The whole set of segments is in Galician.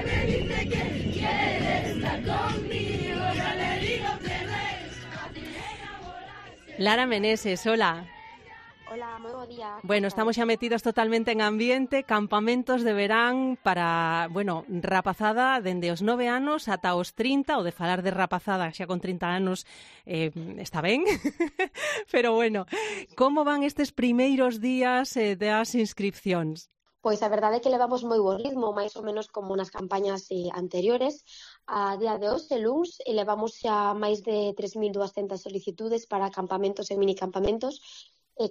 me dice que quiere estar conmigo, ya le digo que Lara Meneses, hola. Hola, moi bo día. Bueno, estamos xa metidos totalmente en ambiente, campamentos de verán para, bueno, rapazada dende os 9 anos ata os 30, o de falar de rapazada xa con 30 anos está ben, pero bueno, como van estes primeiros días das inscripcións? Pois a verdade é que levamos moi bo ritmo, máis ou menos como nas campañas anteriores. A día de hoxe, luns, levamos xa máis de 3.200 solicitudes para campamentos e minicampamentos,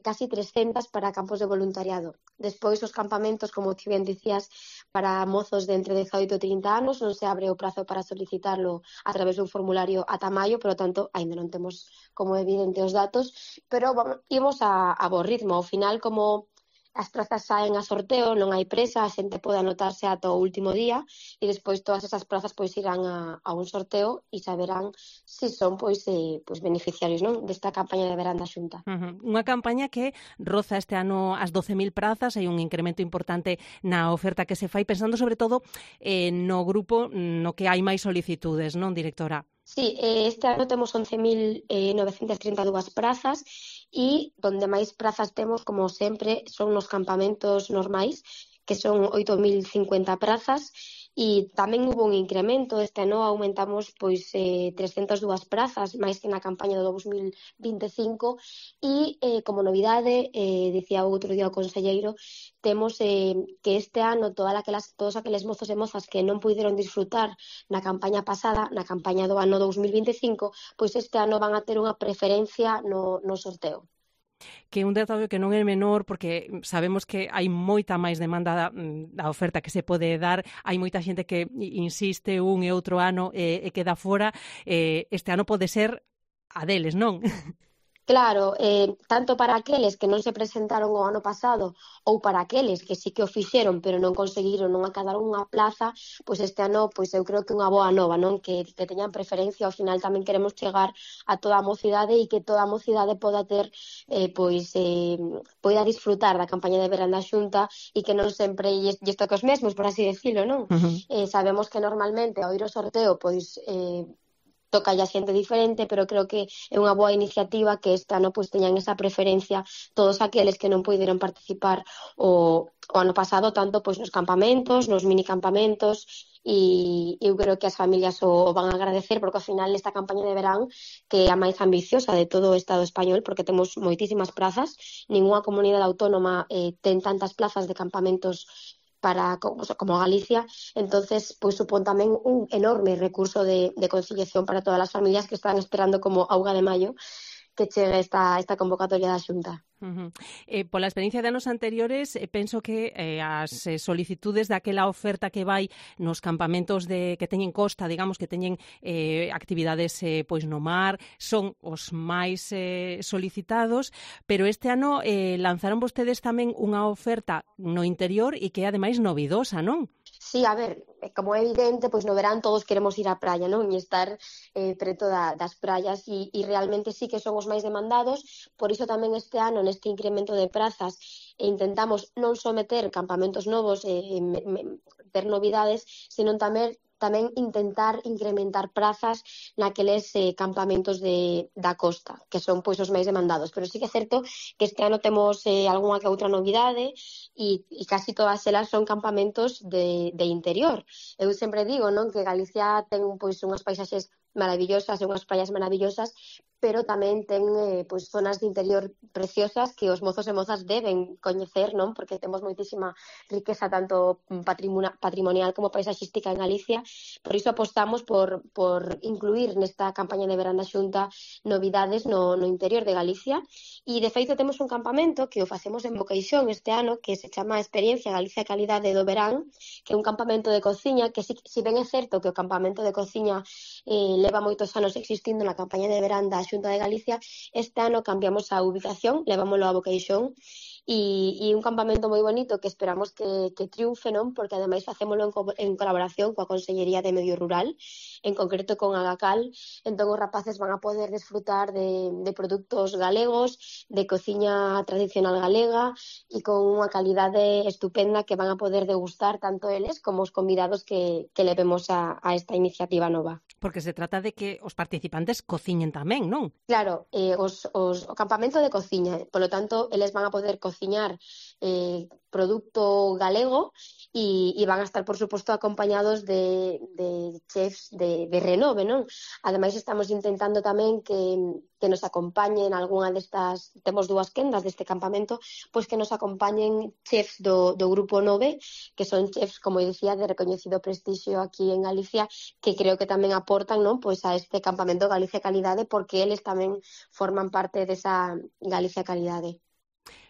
casi 300 para campos de voluntariado. Despois, os campamentos, como ti ben dicías, para mozos de entre 18 e 30 anos, non se abre o prazo para solicitarlo a través dun formulario ata maio, por lo tanto, aínda non temos como evidente os datos, pero imos a bo ritmo. Ao final, como as prazas saen a sorteo, non hai presa, a xente pode anotarse ata o último día e despois todas esas prazas pois irán a un sorteo e saberán se son pois beneficiarios, non, desta campaña de verán da Xunta. Unha campaña que roza este ano as 12.000 prazas, hai un incremento importante na oferta que se fai, pensando sobre todo no grupo no que hai máis solicitudes, non, directora? Sí, este ano temos 11.932 prazas e donde máis prazas temos, como sempre, son nos campamentos normais, que son 8.050 prazas, e tamén hubo un incremento. Este ano aumentamos 302 prazas, máis que na campaña do 2025, e como novidade, dicía outro día o conselleiro, temos que este ano todos aqueles mozos e mozas que non puideron disfrutar na campaña pasada, na campaña do ano 2025, pois este ano van a ter unha preferencia no sorteo. Que un detalle que non é menor, porque sabemos que hai moita máis demanda da oferta que se pode dar, hai moita xente que insiste un e outro ano e queda fora, este ano pode ser a deles, non? Claro, tanto para aqueles que non se presentaron o ano pasado ou para aqueles que sí que o fixeron pero non conseguiron, non acadaron unha plaza, pois este ano pois eu creo que unha boa nova, non? Que teñan preferencia. Ao final tamén queremos chegar a toda a mocidade e que toda a mocidade poda ter poida disfrutar da campaña de verán da Xunta e que non sempre lle toque os mesmos, por así decirlo, non? Sabemos que normalmente ao ir ao sorteo pois toca a xente diferente, pero creo que é unha boa iniciativa que este ano pois teñan esa preferencia todos aqueles que non puideron participar o ano pasado, tanto pois nos campamentos, nos minicampamentos, e eu creo que as familias o van a agradecer, porque ao final esta campaña de verán, que é a máis ambiciosa de todo o Estado español, porque temos moitísimas prazas, ningunha comunidade autónoma ten tantas plazas de campamentos como Galicia, entonces pois supón tamén un enorme recurso de conciliación para todas as familias que están esperando como auga de maio que chegue esta convocatoria da Xunta. Pola experiencia de anos anteriores, penso que as solicitudes daquela oferta que vai nos campamentos que teñen costa, digamos, que teñen actividades pois no mar, son os máis solicitados, pero este ano lanzaron vostedes tamén unha oferta no interior e que é ademais novidosa, non? Sí, a ver, como é evidente, pois no verán todos queremos ir á praia, non? E estar preto das praias e realmente sí que son os máis demandados, por iso tamén este ano, neste incremento de prazas, intentamos non só meter campamentos novos, ter novidades, sino tamén intentar incrementar prazas naqueles campamentos da costa, que son pois os máis demandados. Pero sí que é certo que este ano temos algunha que outra novidade e casi todas elas son campamentos de interior. Eu sempre digo, non, que Galicia ten pois unhas paisaxes maravillosas e unhas praias maravillosas, pero tamén ten pois zonas de interior preciosas que os mozos e mozas deben coñecer, non? Porque temos moitísima riqueza tanto patrimonial como paisaxística en Galicia. Por iso apostamos por incluir nesta campaña de verán da Xunta novidades no interior de Galicia. E de feito temos un campamento que o facemos en Boqueixón este ano, que se chama Experiencia Galicia Calidade do Verán, que é un campamento de cociña que si ben é certo que o campamento de cociña leva moitos anos existindo na campaña de verán da Xunta de Galicia, este ano cambiamos a ubicación, levámoslo a Boqueixón e un campamento moi bonito que esperamos que triunfe, non? Porque ademais facémolo en colaboración coa Consellería de Medio Rural, en concreto con Agacal. Entón os rapaces van a poder desfrutar de produtos galegos, de cociña tradicional galega e con unha calidade estupenda que van a poder degustar tanto eles como os convidados que levemos a esta iniciativa nova. Porque se trata de que os participantes cociñen tamén, non? Claro, o campamento de cociña, polo tanto, eles van a poder cociñar producto galego e van a estar, por suposto, acompañados de chefs de renove, non? Ademais, estamos intentando tamén que nos acompañen algunha destas, temos 2 quendas deste campamento, pois que nos acompañen chefs do Grupo 9, que son chefs, como dicía, de recoñecido prestixio aquí en Galicia, que creo que tamén aportan, non, pois a este campamento Galicia Calidade, porque eles tamén forman parte desa Galicia Calidade.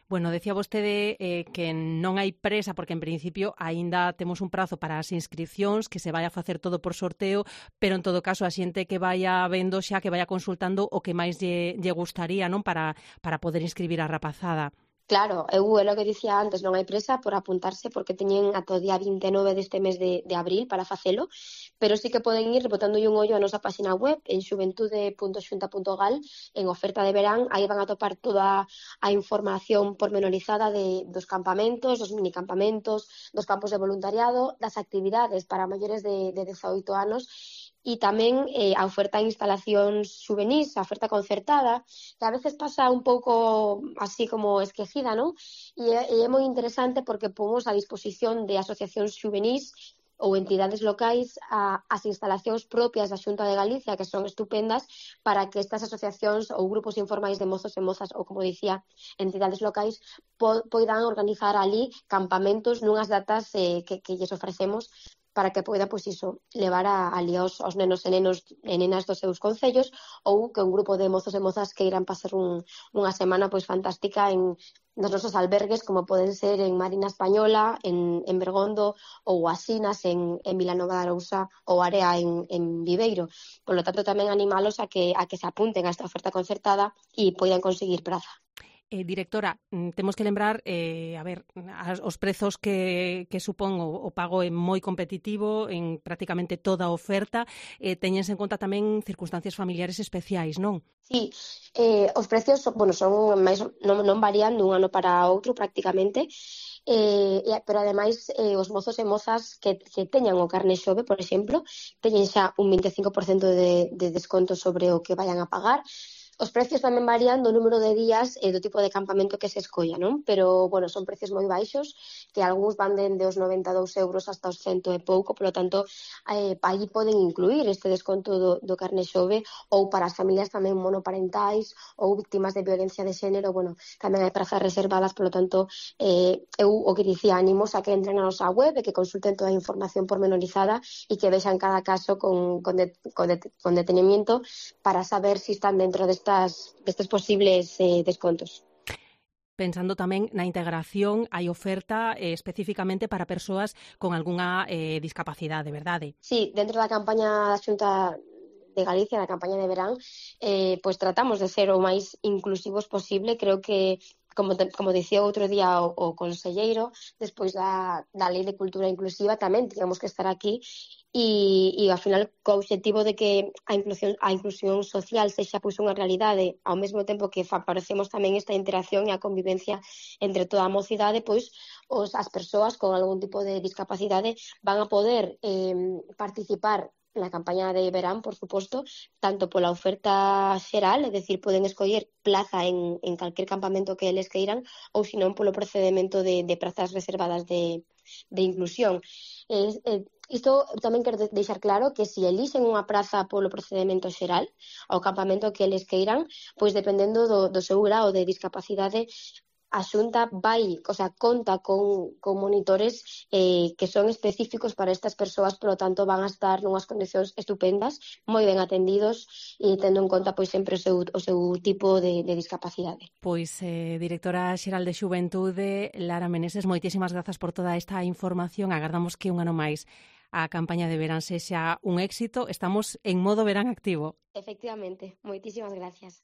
Bueno, decía vostede que non hai presa porque en principio aínda temos un prazo para as inscripcións, que se vai a facer todo por sorteo, pero en todo caso a xente que vaya vendo xa, que vaya consultando o que máis lle gustaría, non, para poder inscribir a rapazada. Claro, é o que dicía antes, non hai presa por apuntarse porque teñen ata o día 29 deste mes de abril para facelo, pero sí que poden ir botando un ollo a nosa página web en xuventude.xunta.gal en oferta de verán, aí van a topar toda a información pormenorizada dos campamentos, dos minicampamentos, dos campos de voluntariado, das actividades para maiores de 18 anos e tamén a oferta en instalacións xuvenís, a oferta concertada, que a veces pasa un pouco así como esquecida, non? E é moi interesante porque pomos a disposición de asociacións xuvenís ou entidades locais as instalacións propias da Xunta de Galicia, que son estupendas, para que estas asociacións ou grupos informais de mozos e mozas, ou como dicía, entidades locais, poidan organizar ali campamentos nunhas datas que lles ofrecemos para que poida, pois iso, levar ali aos nenos e nenas dos seus concellos ou que un grupo de mozos e mozas que irán pasar unha semana pois fantástica nos nosos albergues, como poden ser en Marina Española, en Bergondo ou Asinas en Vilanova de Arousa ou Area en Viveiro. Por lo tanto, tamén animalos a que se apunten a esta oferta concertada e poidan conseguir praza. Directora, temos que lembrar, os prezos que supón o pago é moi competitivo en prácticamente toda a oferta, teñense en conta tamén circunstancias familiares especiais, non? Sí, os precios son máis non varían dun ano para outro prácticamente, pero ademais os mozos e mozas que teñan o carné xove, por exemplo, teñen xa un 25% de desconto sobre o que vayan a pagar. Os precios tamén varían do número de días e do tipo de campamento que se escolla, non? Pero, bueno, son precios moi baixos, que algúns van dende os 92 euros hasta os 100 e pouco, polo tanto, aí poden incluir este desconto do carné xove, ou para as familias tamén monoparentais ou víctimas de violencia de xénero, bueno, tamén hai prazas reservadas, polo tanto, eu o que dicía, animos a que entren na nosa web e que consulten toda a información pormenorizada e que vexan cada caso con detenimiento para saber se están dentro destes posibles descontos. Pensando tamén na integración, hai oferta especificamente para persoas con algunha discapacidade, verdade? Sí, dentro da campaña da Xunta de Galicia, da campaña de verán, pois tratamos de ser o máis inclusivos posible. Creo que, como dicía outro día o conselleiro, despois da Lei de Cultura Inclusiva, tamén teníamos que estar aquí e ao final co obxectivo de que a inclusión social sexa pois unha realidade, ao mesmo tempo que favorecemos tamén esta interacción e a convivencia entre toda a mocidade, pois as persoas con algún tipo de discapacidade van a poder participar na campaña de verán, por suposto, tanto pola oferta xeral, é dicir, poden escoller plaza en calquer campamento que eles queiran, ou senón polo procedimento de prazas reservadas de inclusión. Isto tamén quero deixar claro que se elixen unha praza polo procedimento xeral, ao campamento que eles queiran, pois dependendo do seu grao de discapacidade, a Xunta conta con monitores que son específicos para estas persoas, polo tanto van a estar nunhas condicións estupendas, moi ben atendidos e tendo en conta pois sempre o seu tipo de discapacidade. Pois, directora xeral de Xuventude, Lara Meneses, moitísimas grazas por toda esta información. Agardamos que un ano máis a campaña de verán sexa un éxito. Estamos en modo verán activo. Efectivamente, moitísimas gracias.